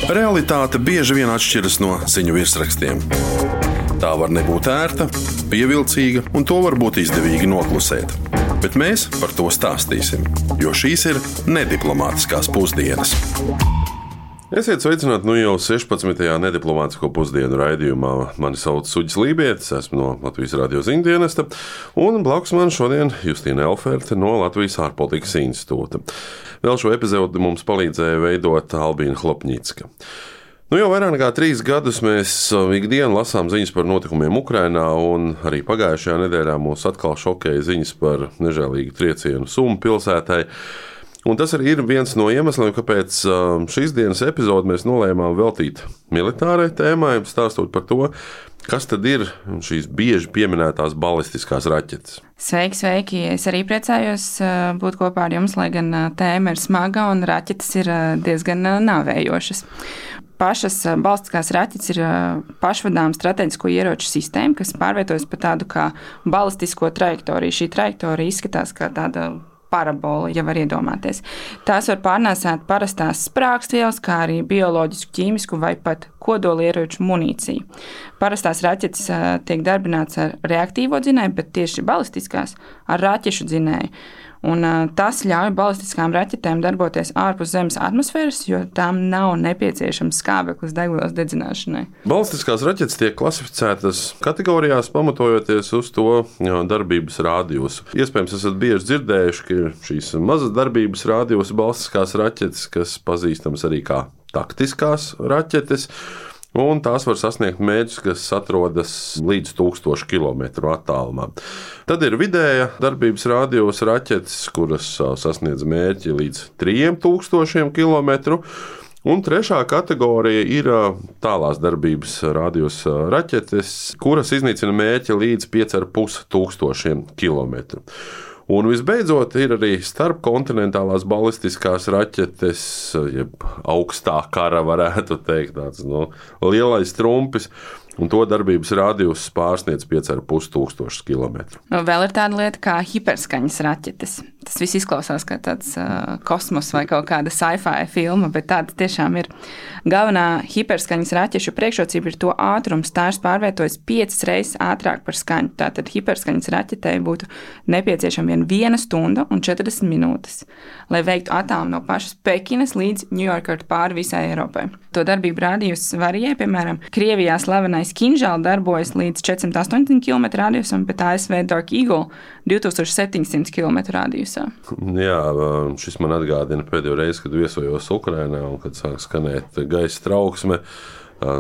Realitāte bieži vien atšķiras no ziņu virsrakstiem. Tā var nebūt ērta, pievilcīga, un to var būt izdevīgi noklusēt. Bet mēs par to stāstīsim, jo šīs ir nediplomātiskās pusdienas. Esiet sveicināti jau 16. nediplomātisko pusdienu raidījumā. Mani sauc Suģis Lībietis, esmu no Latvijas radio ziņdienesta, un blakus man šodien Justīna Elferte no Latvijas ārpolitikas institūta. Vēl šo epizodi mums palīdzēja veidot Albīna Hlopņicka. Jau vairāk nekā 3 gadus mēs ikdienu lasām ziņas par notikumiem Ukrainā, un arī pagājušajā nedēļā mūs atkal šokēja ziņas par nežēlīgu triecienu Sumu pilsētai. Un tas arī ir viens no iemesliem, kāpēc šīs dienas epizodi mēs nolēmām veltīt militārai tēmai, stāstot par to, kas tad ir šīs bieži pieminētās balistiskās raķetes. Sveiki! Es arī priecājos būt kopā ar jums, lai gan tēma ir smaga un raķetes ir diezgan nāvējošas. Pašas balistiskās raķetes ir pašvadāma strateģisko ieroču sistēma, kas pārvietojas pa tādu kā balistisko trajektoriju. Šī trajektorija izskatās kā tāda parabola, ja var iedomāties. Tās var pārnēsāt parastās sprāgstvielas, kā arī bioloģisku, ķīmisku vai pat kodolieroču munīciju. Parastās raķetes tiek darbināts ar reaktīvo dzinēju, bet tieši balistiskās ar raķešu dzinēju. Un tas ļauj balistiskām raķetēm darboties ārpus Zemes atmosfēras, jo tām nav nepieciešams skābeklis degvielas dedzināšanai. Balistiskās raķetes tiek klasificētas kategorijās, pamatojoties uz to darbības rādījusu. Iespējams, esat bieži dzirdējuši, ka ir šīs mazas darbības rādījusa balistiskās raķetes, kas pazīstamas arī kā taktiskās raķetes. Un tās var sasniegt mērķus, kas atrodas līdz 1000 km attālumā. Tad ir vidēja darbības rādījus raķetes, kuras sasniedz mērķi līdz 3000 km. Un trešā kategorija ir tālās darbības rādījus raķetes, kuras iznīcina mērķi līdz 5500 km. Un visbeidzot, ir arī starpkontinentālās balistiskās raķetes, jeb augstā kara, varētu teikt, tāds lielais trumpis, un to darbības rādījus pārsniedz 5500 km. Vēl ir tāda lieta kā hiperskaņas raķetes. Tas viss izklausās kā tāds kosmos vai kaut kāda sci-fi filma, bet tāda tiešām ir. Galvenā hiperskaņas raķešu priekšrocība ir to ātrums. Tās pārvietojas 5 reizes ātrāk par skaņu. Tātad hiperskaņas raķetei būtu nepieciešama 1 stunda un 40 minūtes, lai veiktu attālumu no pašas Pekinas līdz Ņujorkai pāri visai Eiropai. To darbību rādījus varijē, piemēram, Krievijā slavenais Kinžal darbojas līdz 480 km rādījusam, bet ASV Dark Eagle 2700 km rādījusā. Jā, šis man atgādina pēdējo reizi, kad viesojos Ukrainā un kad sāk skanēt gaisa trauksme.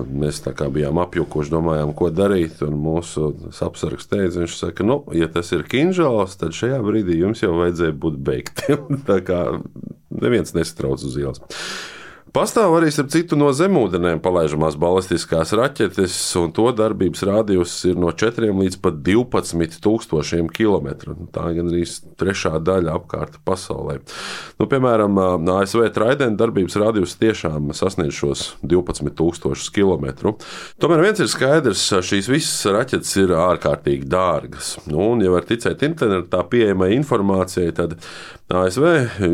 Mēs tā kā bijām apjukuši, domājām, ko darīt, un mūsu apsargs teica, viņš saka, ja tas ir Kinžals, tad šajā brīdī jums jau vajadzēja būt beigtiem. Tā kā neviens nesatrauc uz ielas. Pastāv arī starp citu no zemūdenēm palaižamās balistiskās raķetes, un to darbības rādījus ir no 4 līdz pat 12000 km. Tā ir gandrīz trešā daļa apkārt pasaulē. Piemēram, ASV Trident darbības rādījus tiešām sasniedz šos 12000 km. Tomēr viens ir skaidrs, šīs visas raķetes ir ārkārtīgi dārgas. Un, ja var ticēt internetā pieejamai informācijai, tad ASV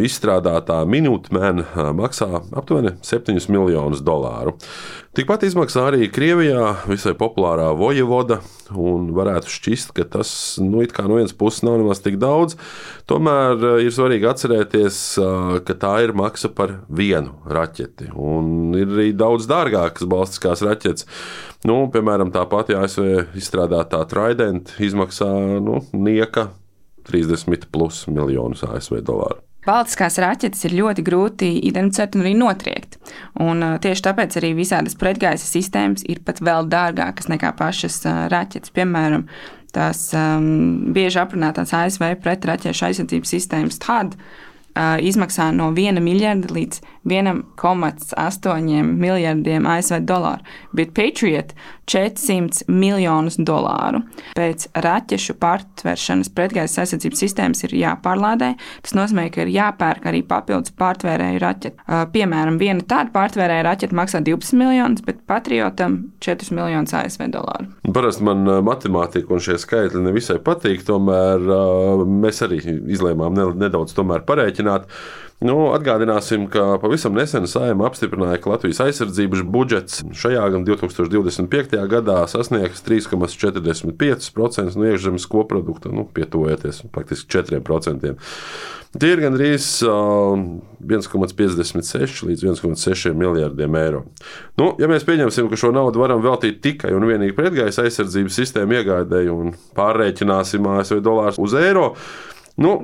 izstrādātā Minuteman maksā aptuveni $7 miljonus. Tikpat izmaksā arī Krievijā visai populārā Vojevoda, un varētu šķist, ka tas it kā no vienas puses nav nemaz tik daudz. Tomēr ir svarīgi atcerēties, ka tā ir maksa par 1 raķeti, un ir arī daudz dārgākas balistiskās raķetes. Piemēram, tā pati ASV izstrādātā Trident izmaksā nieka 30+ miljonus ASV dolāru. Balistiskās raķetes ir ļoti grūti identificēt un arī notriekt. Un tieši tāpēc arī visādas pretgaisa sistēmas ir pat vēl dārgākas nekā pašas raķetes. Piemēram, tās bieži aprunātās ASV pretraķešu aizsardzības sistēmas THAAD izmaksā no 1 miljarda līdz 1,8 miljardiem ASV dolāru, bet Patriot $400 miljonus. Pēc raķešu pārtveršanas pretgaisa aizsardzības sistēmas ir jāpārlādē. Tas nozīmē, ka ir jāpērk arī papildus pārtvērēju raķeti. Piemēram, viena tāda pārtvērēja raķeta maksā 12 miljonus, bet Patriotam $4 miljonus ASV dolāru. Parasti man matemātika un šie skaitļi nevisai patīk, tomēr mēs arī izlēmām nedaudz parēķināt. aprēķināt. Atgādināsim, ka pavisam nesen Saeima apstiprināja, ka Latvijas aizsardzības budžets šajā gan 2025. gadā sasniegs 3,45% no iekšzemes koprodukta, pietuvojoties faktiski 4%. Tie ir gandrīz 1,56 līdz 1,6 miljardiem eiro. Ja mēs pieņemsim, ka šo naudu varam veltīt tikai un vienīgi pretgaisa aizsardzības sistēmu iegādēji un pārrēķināsim ASV dolārus uz eiro,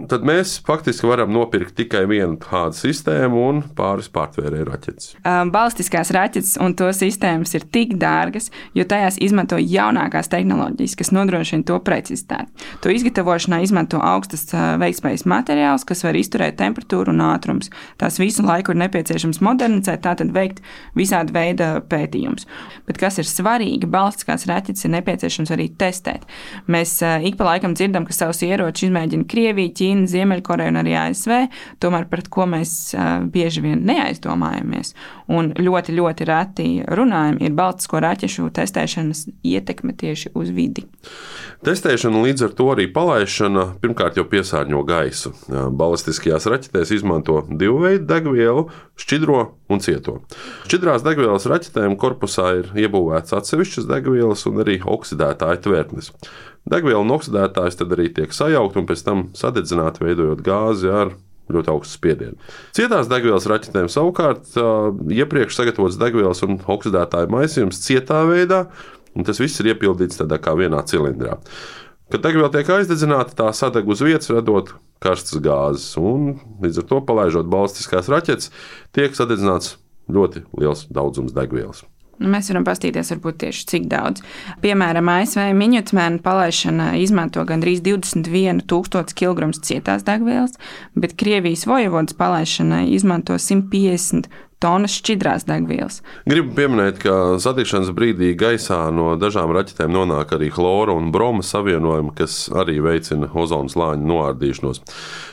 tad mēs faktiski varam nopirkt tikai vienu tādu sistēmu un pāris pārtvērēju raķetes. Balistiskās raķetes un to sistēmas ir tik dārgas, jo tajās izmanto jaunākās tehnoloģijas, kas nodrošina to precizitāti. To izgatavošanā izmanto augstas veiktspējas materiāls, kas var izturēt temperatūru un ātrums. Tās visu laiku ir nepieciešams modernizēt, tātad veikt visāda veida pētījumus. Bet kas ir svarīgi, balistiskās raķetes ir nepieciešams arī testēt. Mēs ik pa laikam dzirdam, ka savus ieročus izmēģina Krievija, Ķīna, Ziemeļkoreja un arī ASV, tomēr par ko mēs bieži vien neaizdomājamies un ļoti, ļoti reti runājam, ir baltisko raķešu testēšanas ietekme tieši uz vidi. Testēšana līdz ar to arī palaišana pirmkārt jau piesārņo gaisu. Balistiskajās raķetēs izmanto divu veidu degvielu – šķidro un cieto. Šķidrās degvielas raķetēm korpusā ir iebūvēts atsevišķas degvielas un arī oksidētāju tvertnes. Degviela un oksidētājs tad arī tiek sajaukt un pēc tam sadedzināti, veidojot gāzi ar ļoti augstu spiedienu. Cietās degvielas raķetēm savukārt iepriekš sagatavots degvielas un oksidētāju maisījums cietā veidā, un tas viss ir iepildīts tādā kā vienā cilindrā. Kad degviela tiek aizdedzināta, tā sadeg uz vietas, radot karstas gāzes, un līdz ar to, palaižot balistiskās raķetes, tiek sadedzināts ļoti liels daudzums degvielas. Mēs varam paskatīties, varbūt tieši cik daudz. Piemēram, ASV Minuteman palaišana izmanto gandrīz 21,000 kg cietās degvielas, bet Krievijas Vojevodas palaišanai izmanto 150 tonnas šķidrās degvielas. Gribu pieminēt, ka satikšanas brīdī gaisā no dažām raķetēm nonāk arī chlora un broma savienojumi, kas arī veicina ozona slāņa noārdīšanos.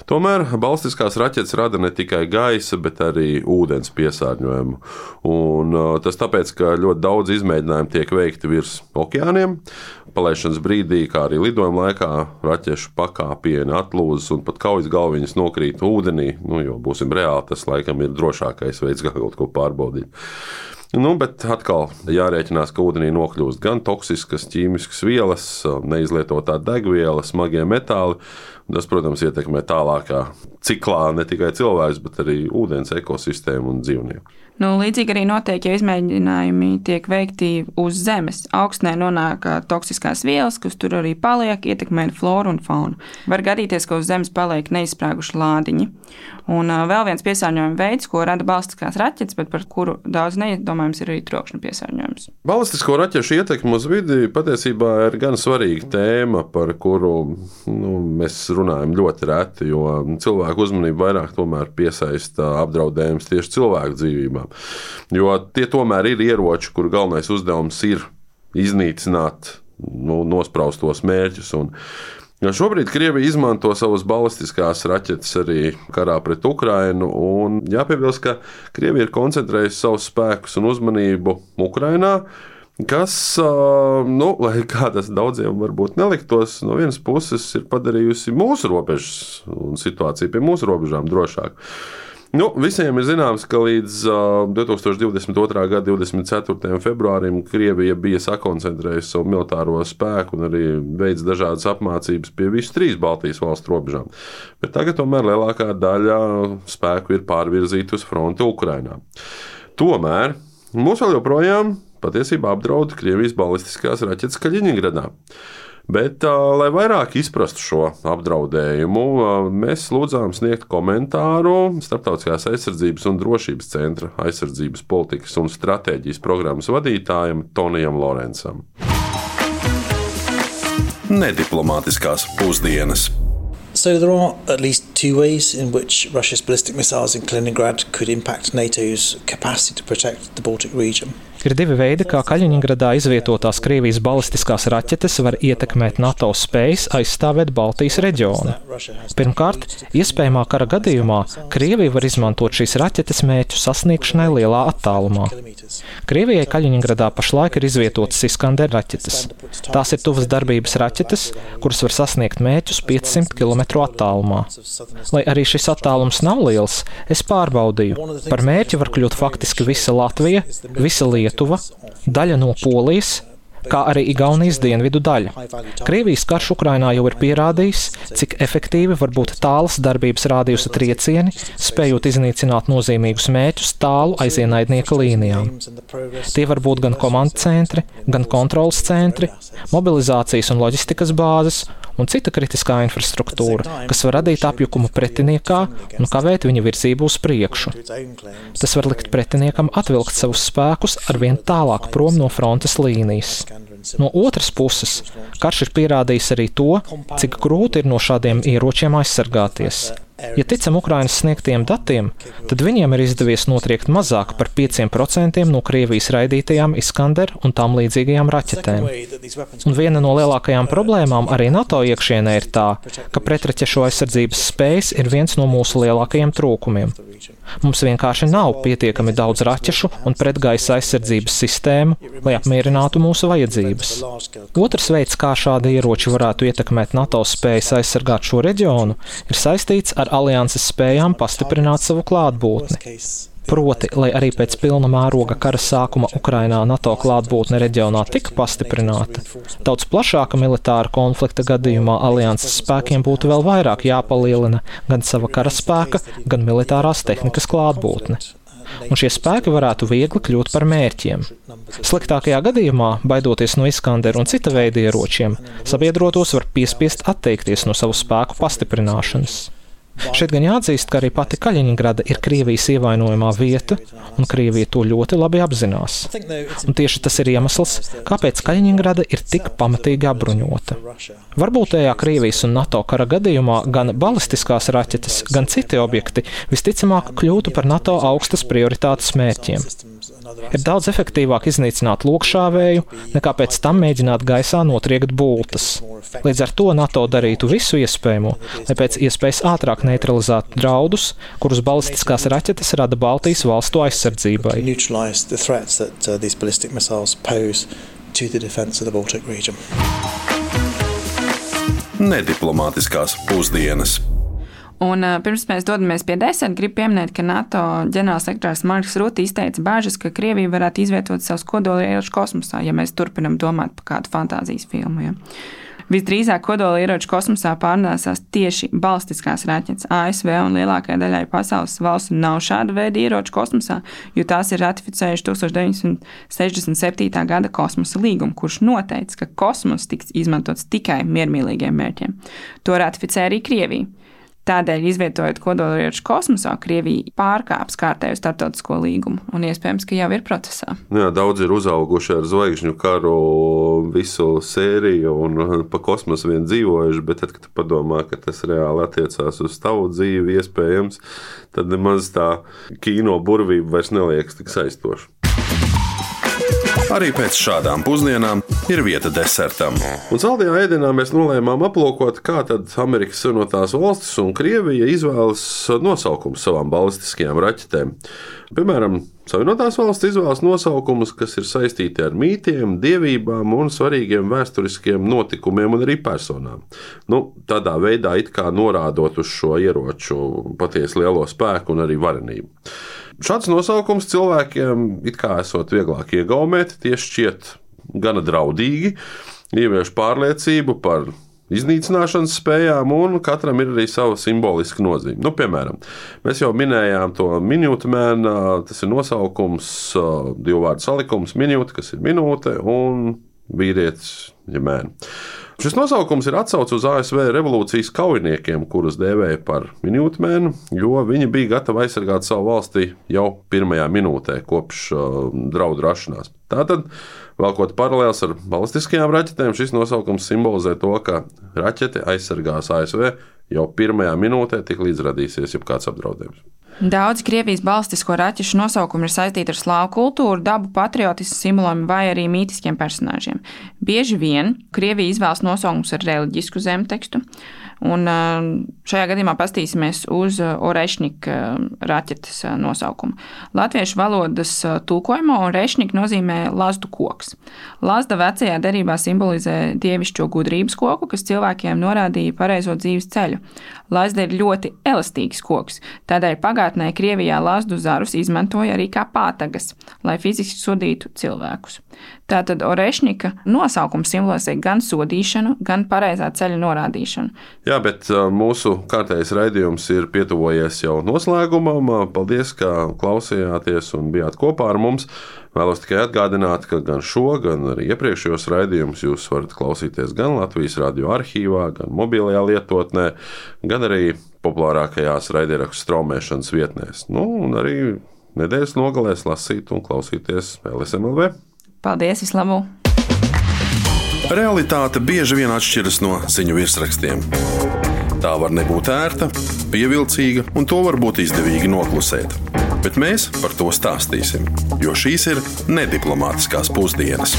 Tomēr balistiskās raķetes rada ne tikai gaisa, bet arī ūdens piesārņojumu. Un tas tāpēc, ka ļoti daudz izmēģinājumu tiek veikti virs okeāniem. Palaišanas brīdī, kā arī lidojuma laikā, raķešu pakāpieni atlūzas un pat kaujas galviņas nokrīt ūdenī, jo būsim reāli, tas laikam ir drošākais veids, kā kaut ko pārbaudīt. Bet atkal jārēķinās, ka ūdenī nokļūst gan toksiskas ķīmiskas vielas, neizlietotā degviela, smagie metāli. Tas, protams, ietekmē tālākā ciklā ne tikai cilvēks, bet arī ūdens ekosistēmu un dzīvnieku. Līdzīgi arī notiek, ja izmēģinājumi tiek veikti uz zemes. Augstnē nonāk toksiskās vielas, kas tur arī paliek, ietekmē floru un faunu. Var gadīties, ka uz zemes paliek neizsprāguši lādiņi. Un vēl viens piesārņojuma veids, ko rada balistiskās raķetes, bet par kuru daudz neiedomājams, ir arī trokšņa piesārņojums. Balistisko raķešu ietekme uz vidi patiesībā ir gan svarīga tēma, par kuru mēs runājam ļoti reti, jo cilvēku uzmanību vairāk tomēr piesaista apdraudējums tieši cilvēku dzīvībām. Jo tie tomēr ir ieroči, kuru galvenais uzdevums ir iznīcināt nospraustos mērķus. Šobrīd Krievija izmanto savas balistiskās raķetes arī karā pret Ukrainu. Jāpiebilst, ka Krievija ir koncentrējusi savus spēkus un uzmanību Ukrainā, kas, lai kā tas daudziem varbūt neliktos, no vienas puses ir padarījusi mūsu robežas un situāciju pie mūsu robežām drošāku. Visiem ir zināms, ka līdz 2022. gada 24. februārim Krievija bija sakoncentrējusi savu militāro spēku un arī veids dažādas apmācības pie visu 3 Baltijas valstu robežām. Bet tagad tomēr lielākā daļa spēku ir pārvirzīta uz fronti Ukrainā. Tomēr mūs vēl joprojām patiesībā apdraud Krievijas balistiskās raķetes Kaļiņingradā. Bet, lai vairāk izprastu šo apdraudējumu, mēs lūdzām sniegt komentāru Starptautiskās aizsardzības un drošības centra aizsardzības politikas un stratēģijas programmas vadītājam Tonijam Lorencam. Nediplomātiskās pusdienas. So there are at least 2 ways in which Russia's ballistic missiles in Kaliningrad could impact NATO's capacity to protect the Baltic region. Ir divi veidi, kā Kaļiņingradā izvietotās Krievijas balistiskās raķetes var ietekmēt NATO spējas aizstāvēt Baltijas reģionu. Pirmkārt, iespējamā kara gadījumā Krievija var izmantot šīs raķetes mērķu sasniegšanai lielā attālumā. Krievijai Kaļiņingradā pašlaik ir izvietotas Iskander raķetes. Tās ir tuvas darbības raķetes, kuras var sasniegt mērķus 500 km attālumā. Lai arī šis attālums nav liels, es pārbaudīju. Par mērķi var kļūt faktiski visa Latvija, visa Lietuva, daļa no Polijas, kā arī Igaunijas dienvidu daļa. Krievijas karš Ukrainā jau ir pierādījis, cik efektīvi var būt tālas darbības rādījusa triecieni, spējot iznīcināt nozīmīgus mērķus tālu aiz ienaidnieka līnijām. Tie var būt gan komandu centri, gan kontrolas centri, mobilizācijas un loģistikas bāzes un cita kritiskā infrastruktūra, kas var radīt apjukumu pretiniekā un kavēt viņa virzību uz priekšu. Tas var likt pretiniekam atvilkt savus spēkus arvien tālāk prom no frontes līnijas. No otras puses, karš ir pierādījis arī to, cik grūti ir no šādiem ieročiem aizsargāties. Ja ticam Ukrainas sniegtiem datiem, tad viņiem ir izdevies notriekt mazāk par 5% no Krievijas raidītajām Iskander un tam līdzīgajām raķetēm. Un viena no lielākajām problēmām arī NATO iekšienē ir tā, ka pretraķešu aizsardzības spējas ir viens no mūsu lielākajiem trūkumiem. Mums vienkārši nav pietiekami daudz raķešu un pretgaisa aizsardzības sistēmu, lai apmierinātu mūsu vajadzības. Otrs veids, kā šādi ieroči varētu ietekmēt NATO spējas aizsargāt šo reģionu, ir saistīts ar alianses spējām pastiprināt savu klātbūtni. Proti, lai arī pēc pilna mēroga kara sākuma Ukrainā NATO klātbūtne reģionā tika pastiprināta, daudz plašāka militāra konflikta gadījumā alianses spēkiem būtu vēl vairāk jāpalielina gan sava karaspēka, gan militārās tehnikas klātbūtne. Un šie spēki varētu viegli kļūt par mērķiem. Sliktākajā gadījumā, baidoties no Iskander un cita veida ieročiem, sabiedrotos var piespiest atteikties no savu spēku pastiprināšanas. Šeit gan jāatzīst, ka arī pati Kaļiņingrada ir Krievijas ievainojamā vieta, un Krievija to ļoti labi apzinās. Un tieši tas ir iemesls, kāpēc Kaļiņingrada ir tik pamatīgi apbruņota. Varbūtējā Krievijas un NATO kara gadījumā gan balistiskās raķetes, gan citi objekti visticamāk kļūtu par NATO augstas prioritātes mērķiem. Ir daudz efektīvāk iznīcināt lokšāvēju, nekā pēc tam mēģināt gaisā notriekt bultas. Līdz ar to NATO darītu visu iespējamo, lai pēc iespējas ātrāk neutralizētu draudus, kurus balistiskās raķetes rada Baltijas valstu aizsardzībai. Nediplomātiskās pusdienas. Un pirms mēs dodamies pie deserta, gribu pieminēt, ka NATO ģenerālsekretārs Marks Rutte izteica bāžas, ka Krievija varētu izvietot savus kodolieročus kosmosā, ja mēs turpinam domāt par kādu fantāzijas filmu. Ja. Visdrīzāk kodolieroči kosmosā pārnēsās tieši balistiskās raķetes. ASV un lielākajai daļai pasaules valstu nav šāda veida ieroču kosmosā, jo tās ir ratificējuši 1967. gada kosmosa līgumu, kurš noteica, ka kosmos tiks izmantots tikai miermīlīgiem mērķiem. To ratificē arī Krievija. Tādēļ, izvietojot kodolieročus kosmosā, Krievija pārkāps kārtējo starptautisko līgumu un iespējams, ka jau ir procesā. Jā, daudz ir uzauguši ar zvaigžņu karu visu sēriju un pa kosmosu vien dzīvojuši, bet tad, kad tu padomā, ka tas reāli attiecās uz tavu dzīvi, iespējams, tad nemaz tā kino burvība vairs neliekas tik saistoša. Arī pēc šādām pusdienām ir vieta desertam. Un saldajā ēdienā mēs nolēmām aplūkot, kā tad Amerikas Savienotās valstis un Krievija izvēlas nosaukumus savām balistiskajām raķetēm. Piemēram, Savienotās valstis izvēlas nosaukumus, kas ir saistīti ar mītiem, dievībām un svarīgiem vēsturiskiem notikumiem un arī personām. Tādā veidā it kā norādot uz šo ieroču patiesi lielo spēku un arī varenību. Šāds nosaukums cilvēkiem it kā esot vieglāk iegaumēt, tie šķiet gana draudīgi, ievieš pārliecību par iznīcināšanas spējām, un katram ir arī sava simboliska nozīme. Piemēram, mēs jau minējām to Minuteman, tas ir nosaukums, divu vārdu salikums, minūte, kas ir minūte, un vīrietis, ja mēne. Šis nosaukums ir atsauce uz ASV revolūcijas kaujiniekiem, kurus dēvēja par Minutemanu, jo viņi bija gatavi aizsargāt savu valsti jau pirmajā minūtē kopš draudu rašanās. Tātad, vēlkot paralēls ar balistiskajām raķetēm, šis nosaukums simbolizē to, ka raķete aizsargās ASV jau pirmajā minūtē tik līdz radīsies jebkāds apdraudējums. Daudz Krievijas balstisko raķešu nosaukumu ir saistīti ar slāvu kultūru, dabu, patriotismu simboliem vai arī mītiskiem personāžiem. Bieži vien Krievija izvēlas nosaukumus ar reliģisku zemtekstu, un šajā gadījumā pastīsimies uz Orešņika raķetes nosaukumu. Latviešu valodas tulkojumā Orešņika nozīmē lazdu koks. Lazda vecajā derībā simbolizē dievišķo gudrības koku, kas cilvēkiem norādīja pareizo dzīves ceļu. Lazda ir ļoti elastīgs koks, tādēļ pagātnē Krievijā lazdu zarus izmantoja arī kā pātagas, lai fiziski sodītu cilvēkus. Tātad Orešņika nosaukums simbolizē gan sodīšanu, gan pareizā ceļa norādīšanu. Jā, bet mūsu kārtējais raidījums ir pietuvojies jau noslēgumam. Paldies, ka klausījāties un bijāt kopā ar mums. Vēlos tikai atgādināt, ka gan šo, gan arī iepriekšējos raidījumus jūs varat klausīties gan Latvijas radio arhīvā, gan mobilajā lietotnē, gan arī populārākajās raidierakstu straumēšanas vietnēs. Un arī nedēļas nogalēs lasīt un klausīties LSMLV. Paldies, vislabāk! Realitāte bieži vien atšķiras no ziņu virsrakstiem. Tā var nebūt ērta, pievilcīga, un to var būt izdevīgi noklusēt. Bet mēs par to stāstīsim, jo šīs ir nediplomātiskās pusdienas.